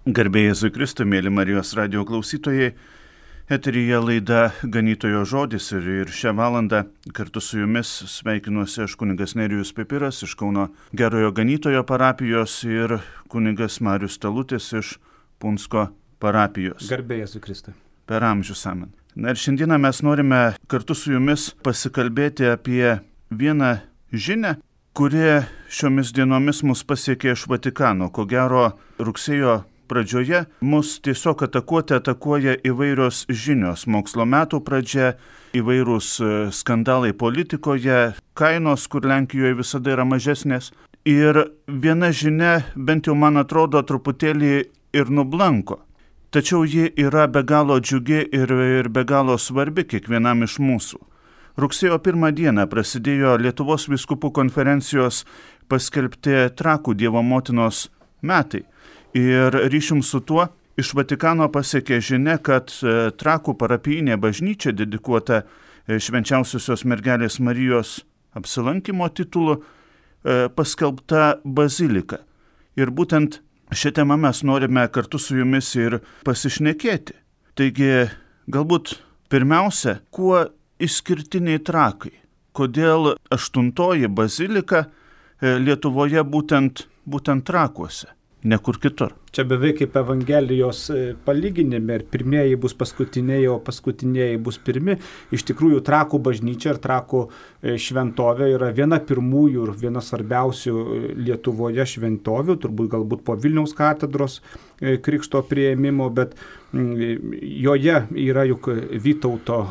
Garbė Jėzui Kristui, mėly Marijos radijo klausytojai, eteryje laida Ganytojo žodis ir šią valandą kartu su jumis sveikinuosi aš kunigas Nerijus Pipiras iš Kauno Gerojo Ganytojo parapijos ir kunigas Marius Talutis iš Punsko parapijos. Garbė Jėzui Kristui. Per amžius amen. Na ir šiandieną mes norime kartu su jumis pasikalbėti apie vieną žinią, kuri šiomis dienomis mus pasiekė iš Vatikano. Ko gero, rugsėjo pradžioje mus tiesiog atakuoja įvairios žinios. Mokslo metų pradžia, įvairūs skandalai politikoje, kainos, kur Lenkijoje visada yra mažesnės. Ir viena žinia, bent jau man atrodo, truputėlį ir nublanko. Tačiau ji yra be galo džiugi ir be galo svarbi kiekvienam iš mūsų. Rugsėjo 1 dieną prasidėjo Lietuvos vyskupų konferencijos paskelbti Trakų Dievo motinos metai. Ir ryšium su tuo iš Vatikano pasiekė žinia, kad Trakų parapijinė bažnyčia dedikuota švenčiausiosios mergelės Marijos apsilankymo titulu paskelbta bazilika. Ir būtent šią temą mes norime kartu su jumis ir pasišnekėti. Taigi, galbūt pirmiausia, kuo išskirtiniai Trakai? Kodėl 8 bazilika Lietuvoje būtent Trakuose? Ne kur kitur. Čia beveik kaip Evangelijos palyginime, ir pirmieji bus paskutiniai, o paskutiniai bus pirmi. Iš tikrųjų, Trakų bažnyčia ir Trakų šventovė yra viena pirmųjų ir viena svarbiausių Lietuvoje šventovių, turbūt galbūt po Vilniaus katedros krikšto priėmimo, bet joje yra juk Vytauto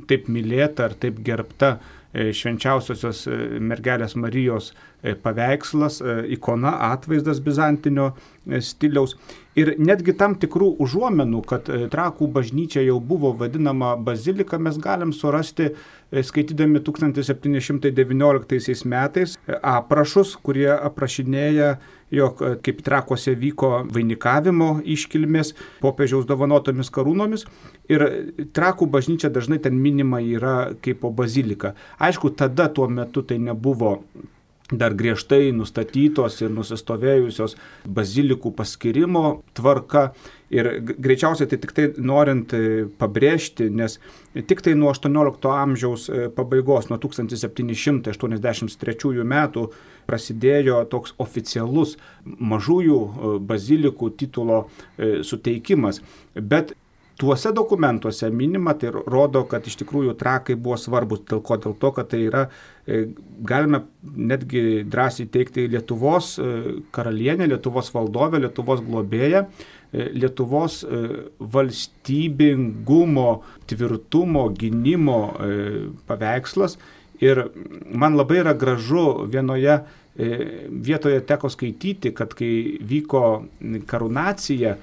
taip mylėta ar taip gerbta švenčiausiosios mergelės Marijos paveikslas, ikona, atvaizdas bizantinio stiliaus. Ir netgi tam tikrų užuomenų, kad Trakų bažnyčia jau buvo vadinama bazilika, mes galim surasti, skaitydami 1719 metais aprašus, kurie aprašinėja, jog kaip Trakuose vyko vainikavimo iškilmės popiežiaus dovanotomis karūnomis. Ir Trakų bažnyčia dažnai ten minima yra kaip bazilika. Aišku, tada tuo metu tai nebuvo dar griežtai nustatytos ir nusistovėjusios bazilikų paskirimo tvarka. Ir greičiausiai tai tik tai norint pabrėžti, nes tik tai nuo 18 amžiaus pabaigos, nuo 1783 metų prasidėjo toks oficialus mažųjų bazilikų titulo suteikimas. Bet tuose dokumentuose minima, tai rodo, kad iš tikrųjų Trakai buvo svarbus. Dėl to, kad tai yra, galime netgi drąsiai teikti, Lietuvos karalienė, Lietuvos valdovė, Lietuvos globėja, Lietuvos valstybingumo, tvirtumo, gynimo paveikslas. Ir man labai yra gražu vienoje vietoje teko skaityti, kad kai vyko karūnacija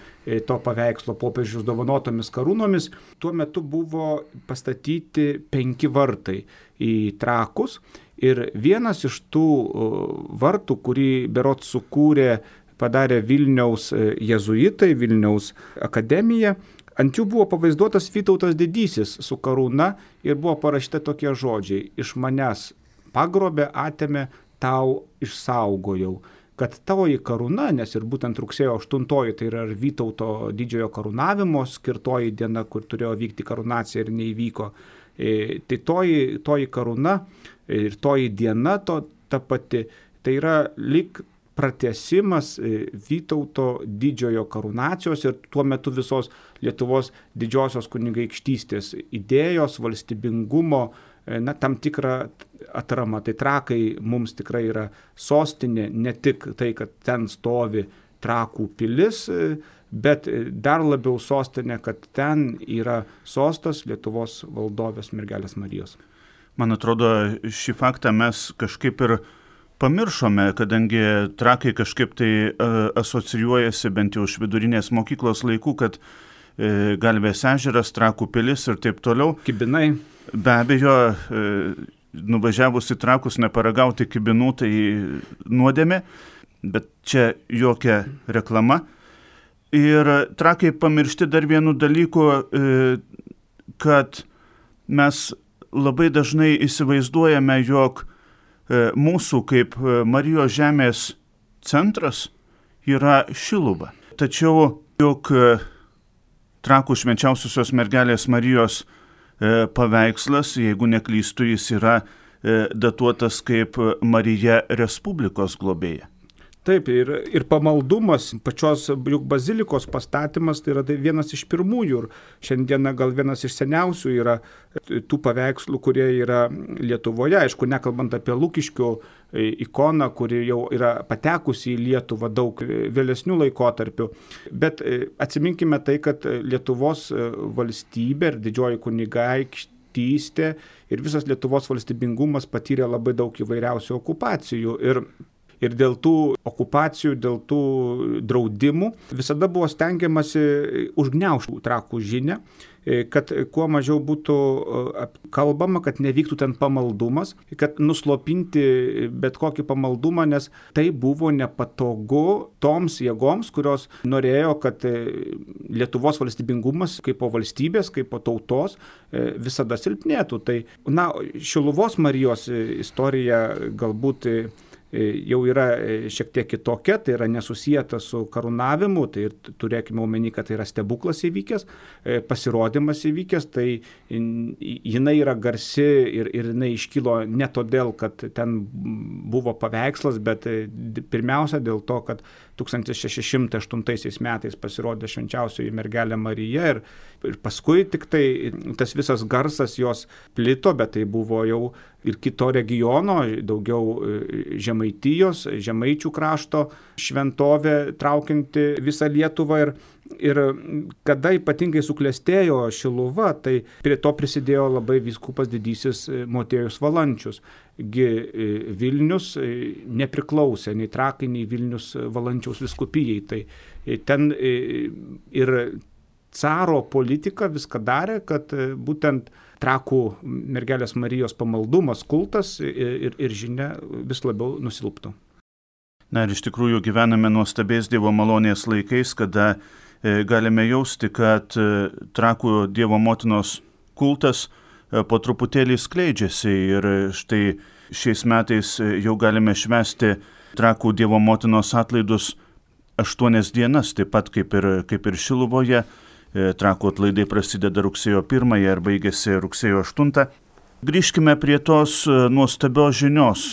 to paveikslo popiežiaus dovanotomis karūnomis, tuo metu buvo pastatyti 5 vartai į Trakus. Ir vienas iš tų vartų, kurį berods padarė Vilniaus jėzuitai, Vilniaus akademija, ant jų buvo pavaizduotas Vytautas didysis su karūna ir buvo parašyta tokie žodžiai: iš manęs pagrobė, atėmė, tau išsaugojau. Kad tavoji karūna, nes ir būtent rugsėjo 8 tai yra Vytauto didžiojo karūnavimo skirtoji diena, kur turėjo vykti karūnacija ir neįvyko, tai toji karūna ir toji diena ta pati, tai yra lyg pratęsimas Vytauto didžiojo karūnacijos ir tuo metu visos Lietuvos didžiosios kunigaikštystės idėjos, valstybingumo, tam tikrą atramą. Tai Trakai mums tikrai yra sostinė, ne tik tai, kad ten stovi Trakų pilis, bet dar labiau sostinė, kad ten yra sostas Lietuvos valdovės mergelės Marijos. Man atrodo, šį faktą mes kažkaip ir pamiršome, kadangi Trakai kažkaip tai asocijuojasi bent jau iš vidurinės mokyklos laikų, kad Galvės ežeras, Trakų pilis ir taip toliau. Kibinai. Be abejo, nuvažiavus į Trakus neparagauti kibinų, tai nuodėmė, bet čia jokia reklama. Ir Trakai pamiršti dar vienu dalyku, kad mes labai dažnai įsivaizduojame, jog mūsų kaip Marijos žemės centras yra Šiluva. Tačiau jog Trakų švenčiausiosios mergelės Marijos paveikslas, jeigu neklystu, jis yra datuotas kaip Marija Respublikos globėja. Taip, ir pamaldumas, pačios juk bazilikos pastatymas, tai yra vienas iš pirmųjų ir šiandieną gal vienas iš seniausių yra tų paveikslų, kurie yra Lietuvoje, aišku, nekalbant apie Lukiškių ikoną, kuri jau yra patekusi į Lietuvą daug vėlesnių laikotarpių, bet atsiminkime tai, kad Lietuvos valstybė ir didžioji kunigaikštystė ir visas Lietuvos valstybingumas patyrė labai daug įvairiausių okupacijų ir dėl tų okupacijų, dėl tų draudimų visada buvo stengiamasi užgniaužti Trakų žinią, kad kuo mažiau būtų kalbama, kad nevyktų ten pamaldumas, kad nuslopinti bet kokį pamaldumą, nes tai buvo nepatogu toms jėgoms, kurios norėjo, kad Lietuvos valstybingumas kaip po valstybės, kaip po tautos visada silpnėtų. Tai, Šiluvos Marijos istorija galbūt jau yra šiek tiek kitokia, tai yra nesusijęta su karūnavimu, tai turėkime omeny, kad tai yra stebuklas įvykęs, pasirodymas įvykęs, tai jinai yra garsi ir jinai iškilo ne todėl, kad ten buvo paveikslas, bet pirmiausia dėl to, kad 1608 metais pasirodė švenčiausioji mergelė Marija ir paskui tik tai tas visas garsas jos plito, bet tai buvo jau ir kito regiono, daugiau Žemaitijos, Žemaičių krašto šventovė traukianti visą Lietuvą ir kada ypatingai suklestėjo Šiluva, tai prie to prisidėjo labai vyskupas didysis Motiejus Valančius. Vilnius nepriklausė nei Trakai, nei Vilnius Valančiaus vyskupijai. Tai ten ir caro politika viską darė, kad būtent Trakų mergelės Marijos pamaldumas, kultas ir žinia vis labiau nusilptų. Na ir iš tikrųjų gyvename nuostabiais Dievo malonės laikais, kada galime jausti, kad Trakų Dievo motinos kultas po truputėlį skleidžiasi ir štai šiais metais jau galime švęsti Trakų Dievo motinos atlaidus 8 dienas, taip pat kaip ir Šiluvoje. Trakų atlaidai prasideda rugsėjo 1 ir baigėsi rugsėjo 8. Grįžkime prie tos nuostabios žinios,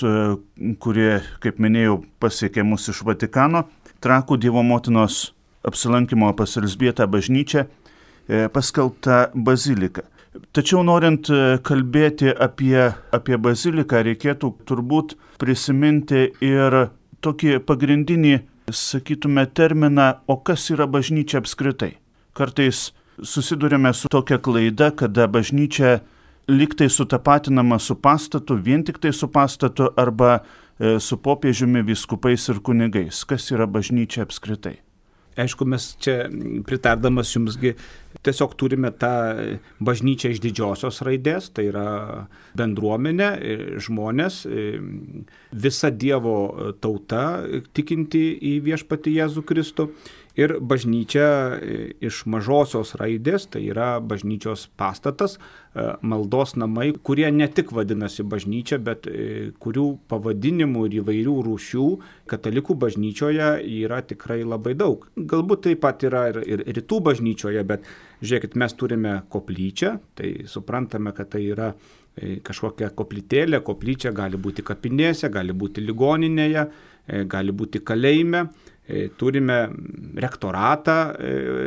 kurie, kaip minėjau, pasiekė mus iš Vatikano. Trakų Dievo motinos apsilankimo pas Elzbietą bažnyčią paskelbta bazilika. Tačiau norint kalbėti apie baziliką, reikėtų turbūt prisiminti ir tokį pagrindinį, sakytume, terminą, o kas yra bažnyčia apskritai. Kartais susidurime su tokia klaida, kada bažnyčia liktai sutapatinama su pastatu, vien tik tai su pastatu arba su popiežiumi, vyskupais ir kunigais. Kas yra bažnyčia apskritai? Aišku, mes čia pritardamas jumsgi tiesiog turime tą bažnyčią iš didžiosios raidės, tai yra bendruomenė, žmonės, visa Dievo tauta tikinti į viešpatį Jėzų Kristų. Ir bažnyčia iš mažosios raidės, tai yra bažnyčios pastatas, maldos namai, kurie ne tik vadinasi bažnyčia, bet kurių pavadinimų ir įvairių rūšių katalikų bažnyčioje yra tikrai labai daug. Galbūt taip pat yra ir rytų bažnyčioje, bet žiūrėkit, mes turime koplyčią, tai suprantame, kad tai yra kažkokia koplytėlė, koplyčia gali būti kapinėse, gali būti ligoninėje, gali būti kalėjime. Turime rektoratą,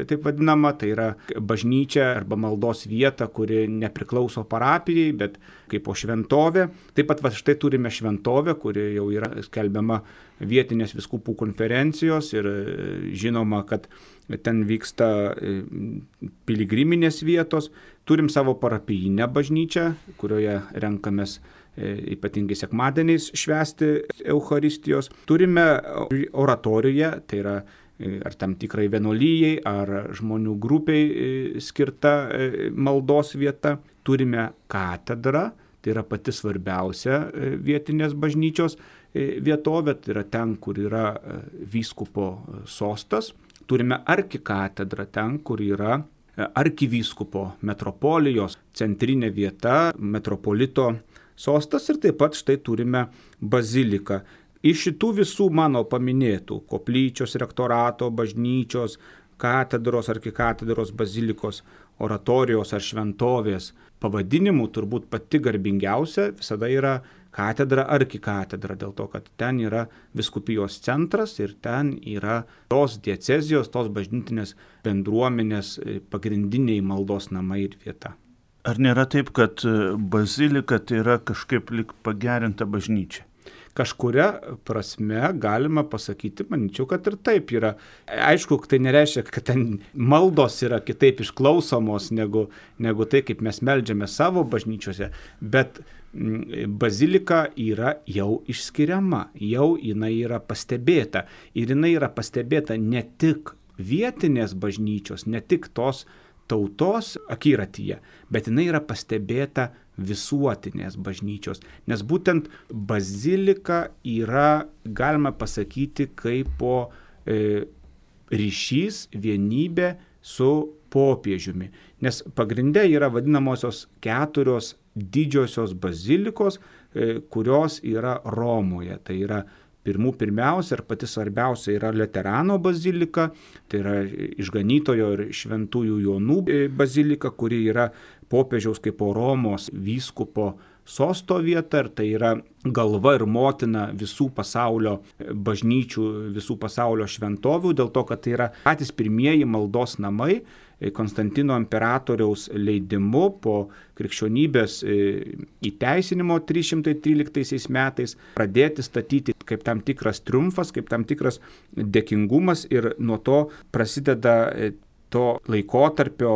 taip vadinamą, tai yra bažnyčia arba maldos vieta, kuri nepriklauso parapijai, bet kaip po šventovė. Taip pat štai turime šventovę, kuri jau yra skelbiama vietinės vyskupų konferencijos ir žinoma, kad ten vyksta piligriminės vietos. Turim savo parapijinę bažnyčią, kurioje renkamės ypatingai sekmadieniais švęsti Eucharistijos. Turime oratoriją, tai yra ar tam tikrai vienuolijai, ar žmonių grupiai skirta maldos vieta. Turime katedrą, tai yra pati svarbiausia vietinės bažnyčios vietovė, tai yra ten, kur yra vyskupo sostas. Turime arkikatedrą, ten, kur yra arkivyskupo metropolijos centrinė vieta, metropolito sostas ir taip pat štai turime baziliką. Iš šitų visų mano paminėtų koplyčios, rektorato, bažnyčios, katedros, arkikatedros, bazilikos, oratorijos ar šventovės pavadinimų turbūt pati garbingiausia visada yra katedra, arkikatedra, dėl to, kad ten yra vyskupijos centras ir ten yra tos diecezijos, tos bažnytinės bendruomenės pagrindiniai maldos namai ir vieta. Ar nėra taip, kad bazilika tai yra kažkaip lyg pagerinta bažnyčia? Kažkuria prasme galima pasakyti, manyčiau, kad ir taip yra. Aišku, tai nereiškia, kad ten maldos yra kitaip išklausomos negu tai, kaip mes meldžiame savo bažnyčiose, bet bazilika yra jau išskiriama, jau jinai yra pastebėta. Ir jinai yra pastebėta ne tik vietinės bažnyčios, ne tik tos tautos akiratyje, bet jinai yra pastebėta visuotinės bažnyčios. Nes būtent bazilika yra, galima pasakyti, kaip ryšys, vienybė su popiežiumi. Nes pagrinde yra vadinamosios 4 didžiosios bazilikos, kurios yra Romoje. Tai yra pirmiausia ir pati svarbiausia yra Laterano bazilika, tai yra išganytojo ir šventųjų Jonų bazilika, kuri yra popiežiaus kaip Romos vyskupo sosto vieta, ir tai yra galva ir motina visų pasaulio bažnyčių, visų pasaulio šventovių, dėl to, kad tai yra patys pirmieji maldos namai, Konstantino imperatoriaus leidimu po krikščionybės įteisinimo 313 metais pradėti statyti kaip tam tikras triumfas, kaip tam tikras dėkingumas, ir nuo to prasideda to laikotarpio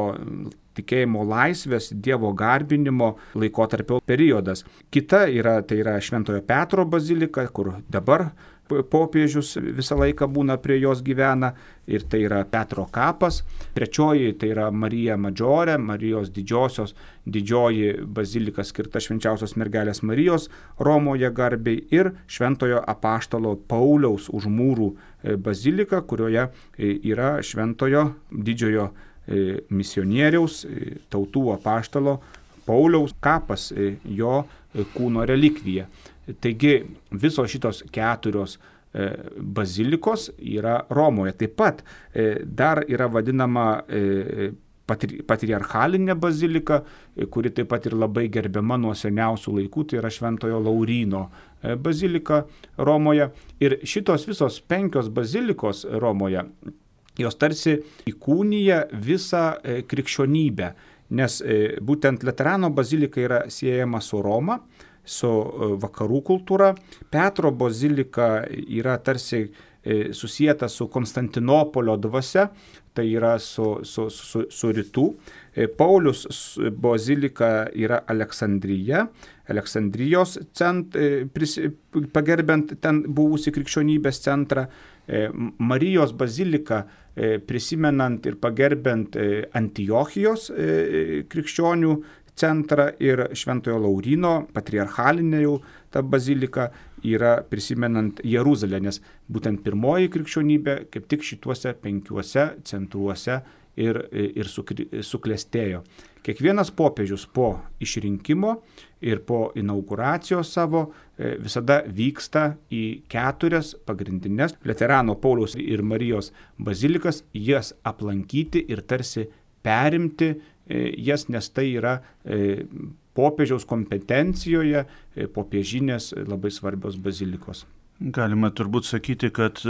tikėjimo laisvės, Dievo garbinimo laikotarpio periodas. Kita yra, tai yra Šventojo Petro bazilika, kur dabar popiežius visą laiką būna prie jos gyvena, ir tai yra Petro kapas. Trečioji tai yra Marija Madžiorė, Marijos didžioji bazilika skirta švenčiausios mergelės Marijos Romoje garbei, ir Šventojo apaštalo Pauliaus už mūrų bazilika, kurioje yra Šventojo didžiojo misionieriaus, tautų apaštalo Pauliaus kapas, jo kūno relikvija. Taigi visos šitos 4 bazilikos yra Romoje. Taip pat dar yra vadinama patriarchalinė bazilika, kuri taip pat ir labai gerbiama nuo seniausių laikų, tai yra Šventojo Lauryno bazilika Romoje. Ir šitos visos 5 bazilikos Romoje, jos tarsi įkūnija visą krikščionybę, nes būtent Laterano bazilika yra siejama su Roma, su vakarų kultūra. Petro bazilika yra tarsi susijęta su Konstantinopolio dvasia, tai yra su rytų. Paulius bazilika yra Aleksandrijos pagerbiant ten buvusi krikščionybės centrą. Marijos bazilika prisimenant ir pagerbiant Antiochijos krikščionių centrą, ir Šventojo Lauryno patriarchalinė jau ta bazilika yra prisimenant Jeruzalę, nes būtent pirmoji krikščionybė kaip tik šituose 5 centruose ir suklestėjo. Kiekvienas popiežius po išrinkimo ir po inauguracijos savo visada vyksta į 4 pagrindinės Laterano, Pauliaus ir Marijos bazilikas, jas aplankyti ir tarsi perimti jas, nes tai yra popiežiaus kompetencijoje popiežinės labai svarbios bazilikos. Galima turbūt sakyti, kad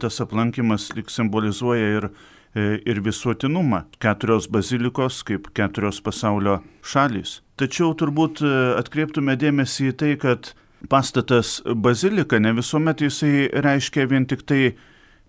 tas aplankimas lyg simbolizuoja ir visuotinumą. 4 bazilikos kaip 4 pasaulio šalys. Tačiau turbūt atkreiptume dėmesį į tai, kad pastatas bazilika ne visuomet jisai reiškia vien tik tai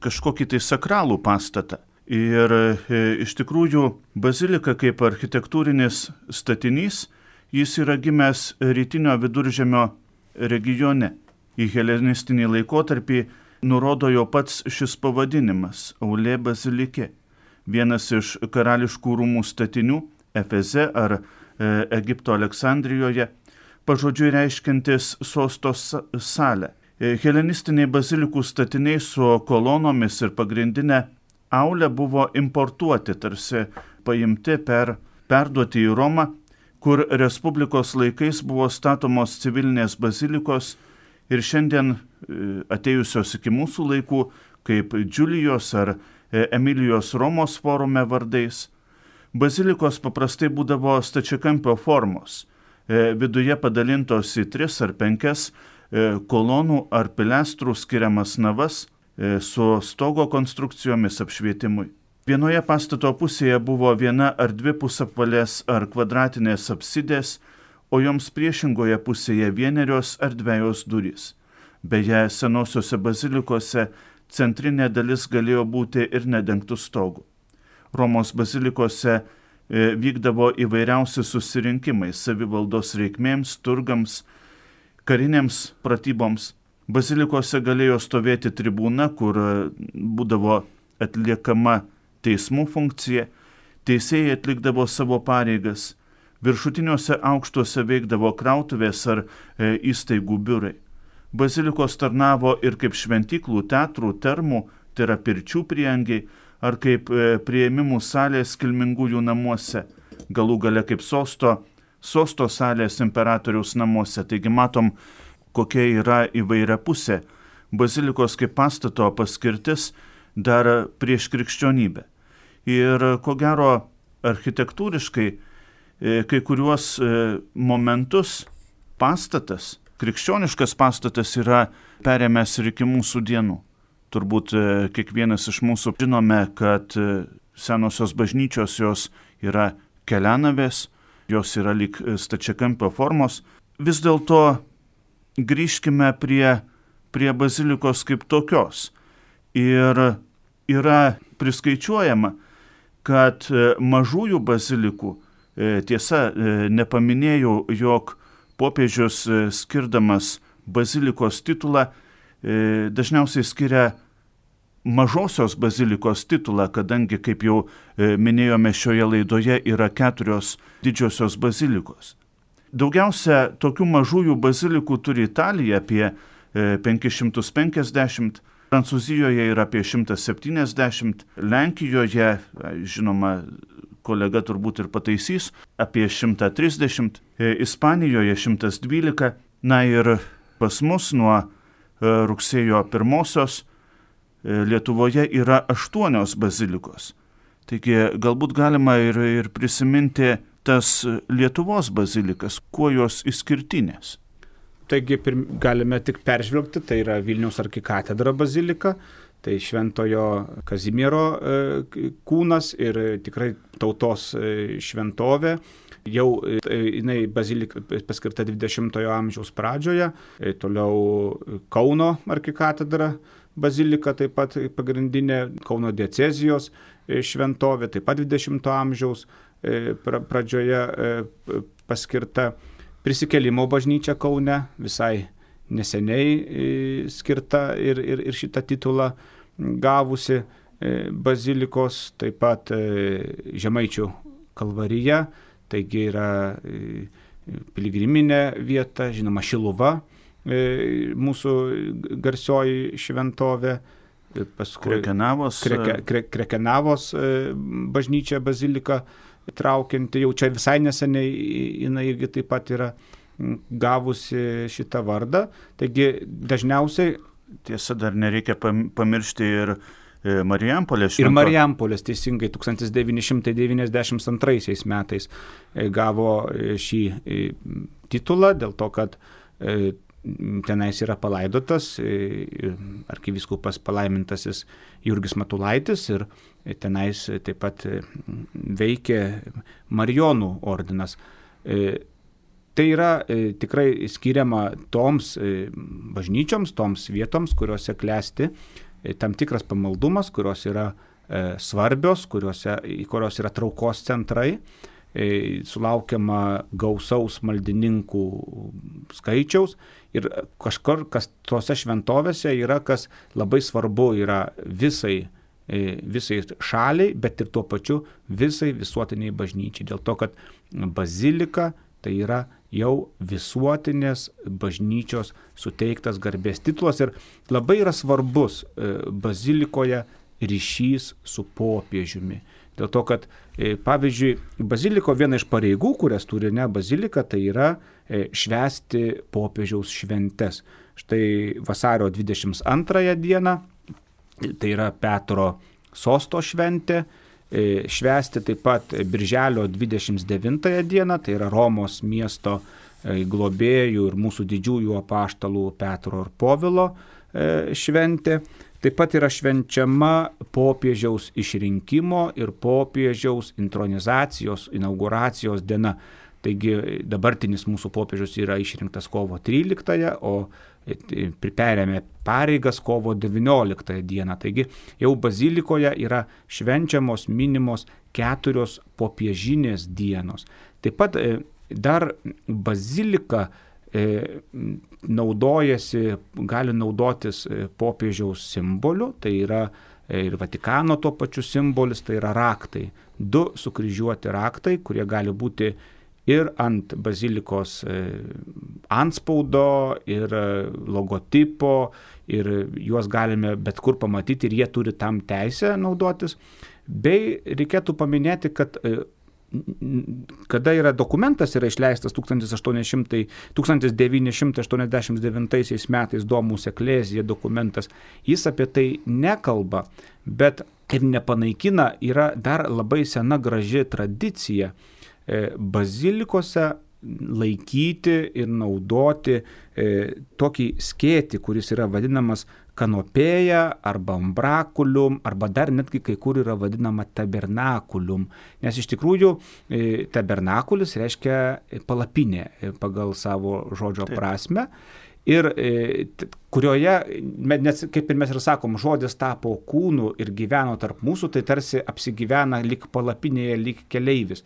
kažkokį tai sakralų pastatą. Ir iš tikrųjų bazilika kaip architektūrinis statinys, jis yra gimęs rytinio viduržemio regione. Į helenistinį laikotarpį nurodo jo pats šis pavadinimas – Aulė bazilike, vienas iš karališkų rūmų statinių Efeze ar Egipto Aleksandrijoje, pažodžiui reiškiantis sosto salę. Helenistiniai bazilikų statiniai su kolonomis ir pagrindinė aulė buvo importuoti, tarsi paimti perduoti į Romą, kur Respublikos laikais buvo statomos civilinės bazilikos ir šiandien atėjusios iki mūsų laikų, kaip Džiulijos ar Emilijos Romos forume vardais. Bazilikos paprastai būdavo stačiakampio formos, viduje padalintos į 3 ar 5 kolonų ar pilestrų skiriamas navas su stogo konstrukcijomis apšvietimui. Vienoje pastato pusėje buvo 1 ar 2 pusapvalės ar kvadratinės apsidės, o joms priešingoje pusėje 1 ar 2 durys. Beje, senosiuose bazilikose centrinė dalis galėjo būti ir nedengtų stogų. Romos bazilikose vykdavo įvairiausi susirinkimai savivaldos reikmėms, turgams, karinėms pratyboms. Bazilikose galėjo stovėti tribūna, kur būdavo atliekama teismų funkcija, teisėjai atlikdavo savo pareigas, viršutiniuose aukštuose veikdavo krautuvės ar įstaigų biurai. Bazilikos tarnavo ir kaip šventyklų, teatrų, termų, tai yra pirčių prieangiai, ar kaip priėmimų salės kilmingųjų namuose, galų gale kaip sosto salės imperatoriaus namuose. Taigi matom, kokia yra įvairia pusė bazilikos kaip pastato paskirtis dar prieš krikščionybę. Ir ko gero architektūriškai kai kuriuos momentus pastatas, krikščioniškas pastatas yra perėmęs ir iki mūsų dienų. Turbūt kiekvienas iš mūsų žinome, kad senosios bažnyčios jos yra kelianavės, jos yra lyg stačiakampio formos. Vis dėlto grįžkime prie bazilikos kaip tokios. Ir yra priskaičiuojama, kad mažųjų bazilikų, tiesa, nepaminėjau, jog popiežius skirdamas bazilikos titulą dažniausiai skiria mažosios bazilikos titulą, kadangi, kaip jau minėjome šioje laidoje, yra 4 didžiosios bazilikos. Daugiausia tokių mažųjų bazilikų turi Italija, apie 550, Prancūzijoje yra apie 170, Lenkijoje, žinoma, kolega turbūt ir pataisys, apie 130, Ispanijoje 112, na ir pas mus nuo rugsėjo 1 Lietuvoje yra 8 bazilikos. Taigi galbūt galima ir prisiminti tas Lietuvos bazilikas, kuo jos išskirtinės. Taigi galime tik peržvelgti, tai yra Vilniaus arkikatedra bazilika, tai Šventojo Kazimiero kūnas ir tikrai tautos šventovė. Jau jinai bazilika paskirta 20-ojo amžiaus pradžioje, toliau Kauno arkikatedra bazilika, taip pat pagrindinė Kauno diecezijos šventovė, taip pat 20-ojo amžiaus pradžioje paskirta. Prisikėlimo bažnyčia Kaune visai neseniai skirta ir šitą titulą gavusi bazilikos, taip pat Žemaičių kalvarija, taigi yra piligriminė vieta, žinoma Šiluva, mūsų garsioji šventovė, Krekenavos bažnyčia bazilika, traukianti, jau čia visai neseniai jinai irgi taip pat yra gavusi šitą vardą. Taigi dažniausiai... Tiesa, dar nereikia pamiršti ir Marijampolės šventovę. Ir Marijampolės teisingai 1992 metais gavo šį titulą dėl to, kad tenais yra palaidotas arkivyskupas palaimintasis Jurgis Matulaitis ir tenais taip pat veikia Marijonų ordinas. Tai yra tikrai skiriama toms bažnyčioms, toms vietoms, kuriuose klesti tam tikras pamaldumas, kurios yra svarbios, kurios yra traukos centrai. Sulaukiama gausaus maldininkų skaičiaus ir kažkur, kas tose šventovėse yra, kas labai svarbu yra visai šaliai, bet ir tuo pačiu visai visuotiniai bažnyčiai. Dėl to, kad bazilika tai yra jau visuotinės bažnyčios suteiktas garbės titulas ir labai yra svarbus bazilikoje ryšys su popiežiumi. Dėl to, kad, pavyzdžiui, baziliko viena iš pareigų, kurias turi bazilika, tai yra švęsti popiežiaus šventes. Štai vasario 22 dieną, tai yra Petro sosto šventė, švęsti taip pat birželio 29 dieną, tai yra Romos miesto globėjų ir mūsų didžiųjų apaštalų Petro ir Povilo šventė. Taip pat yra švenčiama popiežiaus išrinkimo ir popiežiaus intronizacijos, inauguracijos diena. Taigi dabartinis mūsų popiežius yra išrinktas kovo 13, o perėmė pareigas kovo 19 dieną. Taigi jau bazilikoje yra švenčiamos, minimos 4 popiežinės dienos. Taip pat dar bazilika gali naudotis popiežiaus simboliu, tai yra ir Vatikano tuo pačiu simbolis, tai yra raktai. 2 sukryžiuoti raktai, kurie gali būti ir ant bazilikos antspaudo, ir logotipo, ir juos galime bet kur pamatyti ir jie turi tam teisę naudotis. Bei reikėtų paminėti, kad kada dokumentas yra išleistas 1989 metais Domus Ecclesiae dokumentas, jis apie tai nekalba, bet ir nepanaikina, yra dar labai sena graži tradicija bazilikose laikyti ir naudoti tokį skėtį, kuris yra vadinamas kanopėja arba umbrakulium, arba dar netgi kai kur yra vadinama tabernakulium. Nes iš tikrųjų tabernakulis reiškia palapinė pagal savo žodžio prasme. Ir kurioje, nes kaip ir mes ir sakom, žodis tapo kūnu ir gyveno tarp mūsų, tai tarsi apsigyvena lyg palapinėje, lyg keleivis.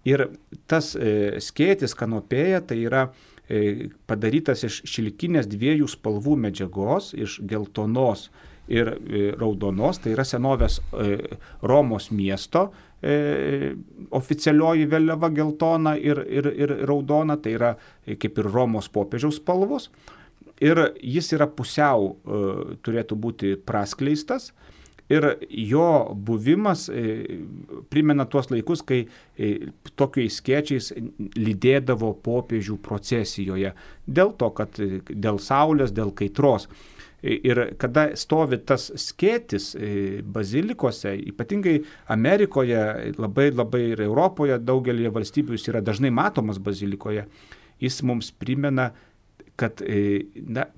Ir tas skėtis kanopėja tai yra padarytas iš šilkinės 2 spalvų medžiagos, iš geltonos ir raudonos, tai yra senovės Romos miesto oficialioji vėliava geltona ir raudona, tai yra kaip ir Romos popiežiaus spalvos. Ir jis yra pusiau, turėtų būti praskleistas. Ir jo buvimas primena tuos laikus, kai tokiais skėčiais lydėdavo popiežių procesijoje. Dėl to, kad dėl saulės, dėl kaitros. Ir kada stovi tas skėtis bazilikose, ypatingai Amerikoje, labai ir Europoje, daugelį valstybių jis yra dažnai matomas bazilikoje, jis mums primena, kad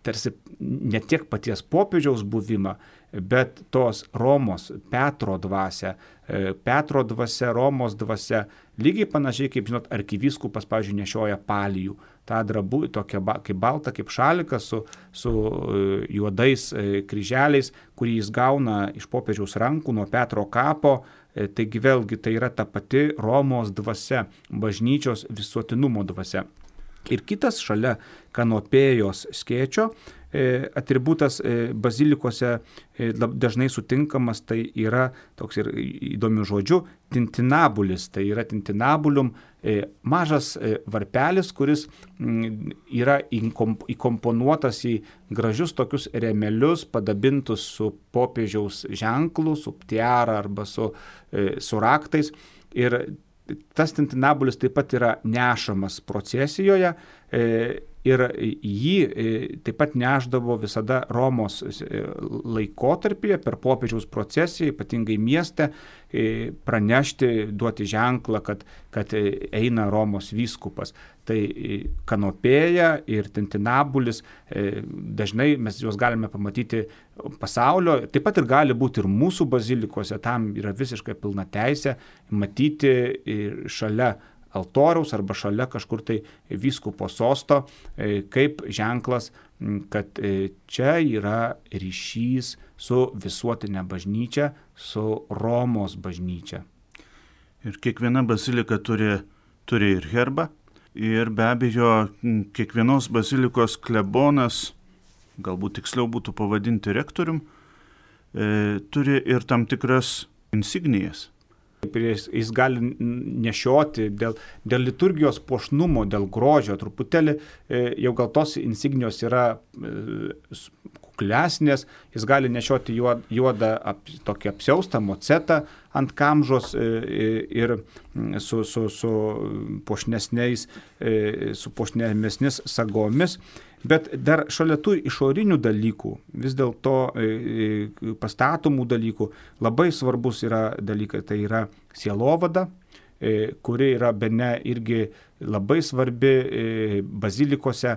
tarsi ne tiek paties popiežiaus buvimą, bet tos Romos Petro dvasia, Romos dvasia, lygiai panašiai kaip, žinot, arkivyskupas, pavyzdžiui, nešioja palijų, tą drabų, tokia kaip balta, kaip šalikas su juodais kryželiais, kurį jis gauna iš popiežiaus rankų nuo Petro kapo. Taigi vėlgi tai yra ta pati Romos dvasia, bažnyčios visuotinumo dvasia. Ir kitas šalia kanopėjos skėčio atributas bazilikose dažnai sutinkamas, tai yra toks ir įdomių žodžių tintinabulis, tai yra tintinabulium, mažas varpelis, kuris yra įkomponuotas į gražius tokius rėmelius, padabintus su popiežiaus ženklu, su tiara arba su raktais. Ir tas tintinabulis taip pat yra nešamas procesijoje ir jį taip pat nešdavo visada Romos laikotarpyje per popiežiaus procesiją, ypatingai mieste, pranešti, duoti ženklą, kad eina Romos vyskupas. Tai kanopėja ir tintinabulis, dažnai mes juos galime pamatyti pasaulio, taip pat ir gali būti ir mūsų bazilikose, tam yra visiškai pilna teisė matyti šalia altoriaus arba šalia kažkur tai vyskupo sosto, kaip ženklas, kad čia yra ryšys su visuotinė bažnyčia, su Romos bažnyčia. Ir kiekviena bazilika turi ir herbą. Ir be abejo, kiekvienos bazilikos klebonas, galbūt tiksliau būtų pavadinti rektorium, turi ir tam tikras insignijas. Jis gali nešioti dėl liturgijos puošnumo, dėl grožio, truputėlį jau gal tos insignijos yra kuklesnės, jis gali nešioti juodą tokį apsiaustą mocetą ant kamžos ir su puošnesnės sagomis. Bet dar šalia tų išorinių dalykų, vis dėlto pastatomų dalykų, labai svarbus yra dalykai, tai yra sielovada, kuri yra bene irgi labai svarbi bazilikose,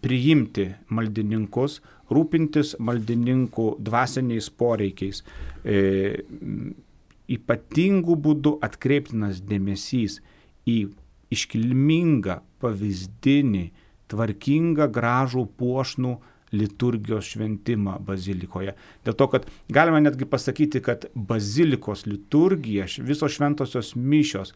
priimti maldininkus, rūpintis maldininkų dvasiniais poreikiais. Ypatingų būdų atkreiptinas dėmesys į iškilmingą, pavyzdinį, tvarkingą, gražų, puošnų liturgijos šventimą bazilikoje. Dėl to, kad galima netgi pasakyti, kad bazilikos liturgija, visos šventosios mišios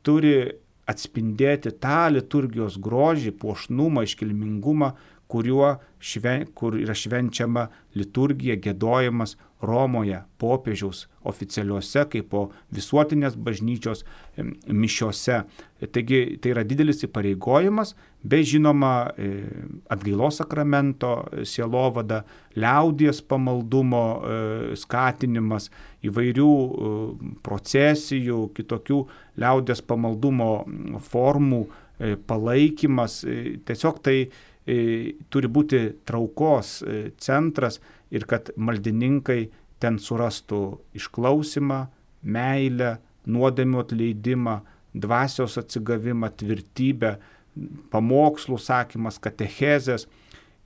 turi atspindėti tą liturgijos grožį, puošnumą, iškilmingumą, kur yra švenčiama liturgija, giedojimas Romoje, popiežiaus oficialiuose, kaip po visuotinės bažnyčios mišiose. Taigi tai yra didelis įpareigojimas, bei žinoma atgailos sakramento sielovada, liaudies pamaldumo skatinimas, įvairių procesijų, kitokių liaudies pamaldumo formų palaikymas. Tiesiog tai turi būti traukos centras ir kad maldininkai ten surastų išklausimą, meilę, nuodėmių atleidimą, dvasios atsigavimą, tvirtybę, pamokslų sakymas, katechezės.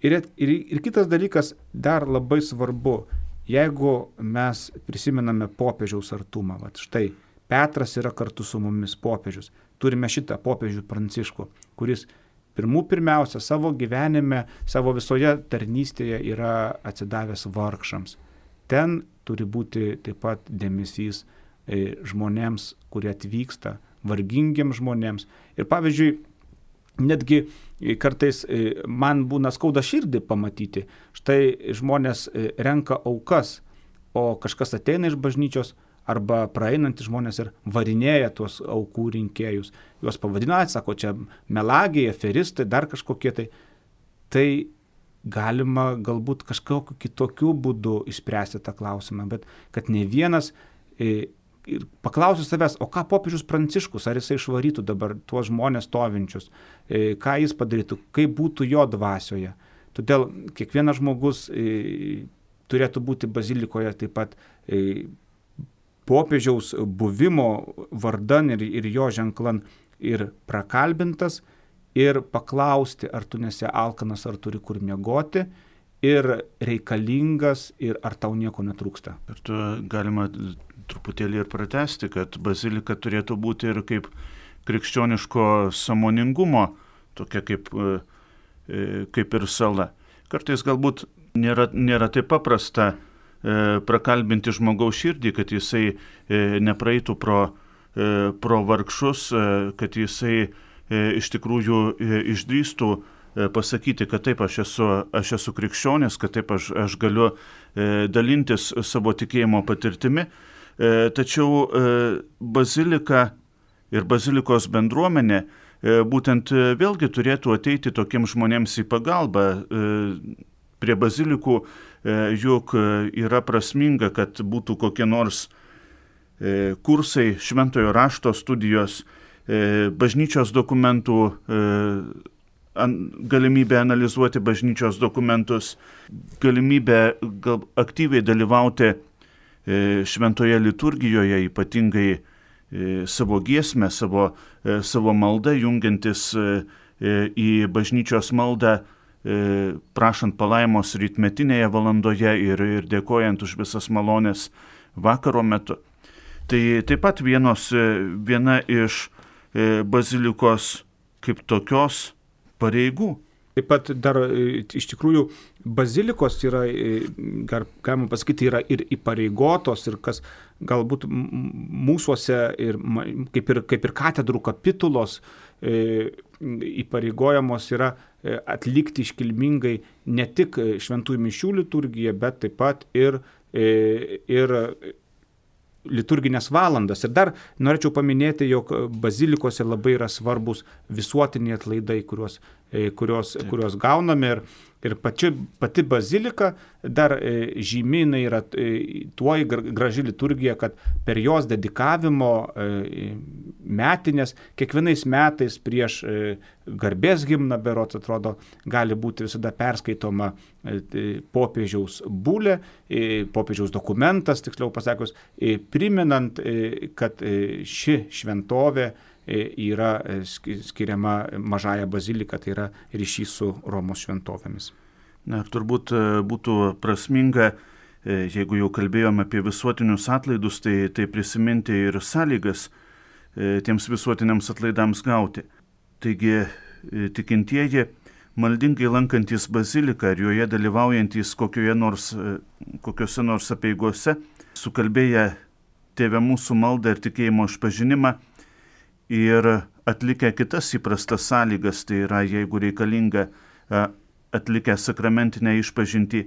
Ir kitas dalykas dar labai svarbu, jeigu mes prisimename popiežiaus artumą, štai Petras yra kartu su mumis popiežius, turime šitą popiežių Pranciškų, kuris pirmiausia savo gyvenime, savo visoje tarnystėje yra atsidavęs vargšams. Ten turi būti taip pat dėmesys žmonėms, kurie atvyksta, vargingiems žmonėms. Ir pavyzdžiui, netgi kartais man būna skauda širdį pamatyti, štai žmonės renka aukas, o kažkas ateina iš bažnyčios, arba praeinantys žmonės ir varinėja tuos aukų rinkėjus. Juos pavadina, sako, čia melagiai, aferistai, dar kažkokie tai. Tai galima galbūt kažkokiu kitokiu būdu išspręsti tą klausimą, bet kad ne vienas paklausiu savęs, o ką popiežius Pranciškus, ar jisai išvarytų dabar tuos žmonės stovinčius, ką jis padarytų, kaip būtų jo dvasioje. Todėl kiekvienas žmogus turėtų būti bazilikoje taip pat popiežiaus buvimo vardan ir jo ženklan ir prakalbintas ir paklausti, ar tu nesi alkanas, ar turi kur miegoti ir reikalingas ir ar tau nieko netrūksta. Ir tu galima truputėlį ir pratesti, kad bazilika turėtų būti ir kaip krikščioniško sąmoningumo, tokia kaip ir sala. Kartais galbūt nėra taip paprasta prakalbinti žmogaus širdį, kad jisai nepraeitų pro vargšus, kad jisai iš tikrųjų išdrįstų pasakyti, kad taip aš esu krikščionis, kad taip aš galiu dalintis savo tikėjimo patirtimi. Tačiau bazilika ir bazilikos bendruomenė būtent vėlgi turėtų ateiti tokiems žmonėms į pagalbą. Prie bazilikų juk yra prasminga, kad būtų kokie nors kursai, šventojo rašto studijos, bažnyčios dokumentų, galimybė analizuoti bažnyčios dokumentus, galimybė aktyviai dalyvauti šventoje liturgijoje, ypatingai savo giesmę, savo maldą, jungiantis į bažnyčios maldą, prašant palaimos rytmetinėje valandoje ir dėkojant už visas malonės vakaro metu. Tai taip pat viena iš bazilikos kaip tokios pareigų. Taip pat dar iš tikrųjų bazilikos yra, galima pasakyti, yra ir įpareigotos ir kas galbūt mūsuose ir kaip ir katedrų kapitulos įpareigojamos yra atlikti iškilmingai ne tik šventųjų mišių liturgiją, bet taip pat ir liturginės valandas. Ir dar norėčiau paminėti, jog bazilikose labai yra svarbus visuotiniai atlaidai, kuriuos gauname. Ir Ir pati bazilika dar žymynai yra tuo graži liturgija, kad per jos dedikavimo metinės kiekvienais metais prieš garbės himną, berods atrodo, gali būti visada perskaitoma popiežiaus bulė, popiežiaus dokumentas, tiksliau pasakius, priminant, kad ši šventovė yra skiriama Mažąja bazilika, tai yra ryšys su Romos šventovėmis. Na, turbūt būtų prasminga, jeigu jau kalbėjom apie visuotinius atlaidus, tai prisiminti ir sąlygas tiems visuotiniams atlaidams gauti. Taigi tikintieji, maldingai lankantis baziliką ir joje dalyvaujantys kokiuose nors apeigose, sukalbėję Tėve mūsų maldą ir tikėjimo išpažinimą ir atlikę kitas įprastas sąlygas, tai yra, jeigu reikalinga, atlikę sakramentinę išpažintį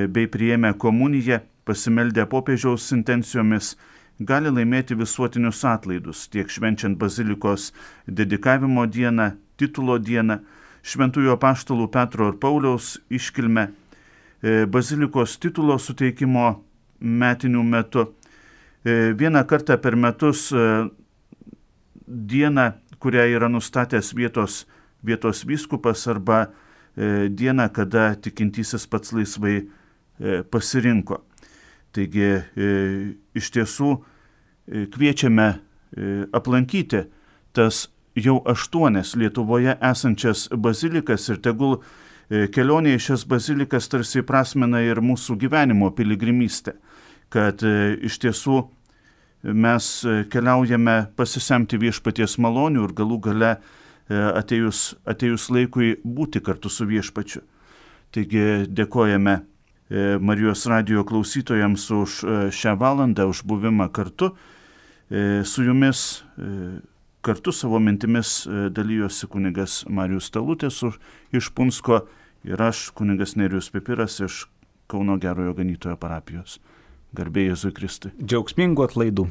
bei priėmę komuniją, pasimeldę popiežiaus intencijomis, gali laimėti visuotinius atlaidus, tiek švenčiant bazilikos dedikavimo dieną, titulo dieną, šventųjų apaštalų Petro ir Pauliaus iškilmę, bazilikos titulo suteikimo metinių metu, vieną kartą per metus dieną, kurią yra nustatęs vietos vyskupas, arba dieną, kada tikintysis pats laisvai pasirinko. Taigi iš tiesų kviečiame aplankyti tas jau 8 Lietuvoje esančias bazilikas ir tegul kelionė į šias bazilikas tarsi prasmena ir mūsų gyvenimo piligrimystę, kad iš tiesų mes keliaujame pasisemti viešpaties malonių ir galų gale atėjus laikui būti kartu su viešpačiu. Taigi dėkojame Marijos radijo klausytojams už šią valandą, už buvimą kartu. Su jumis kartu savo mintimis dalyjosi kunigas Marijus Talutės iš Punsko ir aš, kunigas Nerijus Pipiras iš Kauno Gerojo Ganytojo parapijos. Garbė Jėzui Kristui. Džiaugsmingų atlaidų.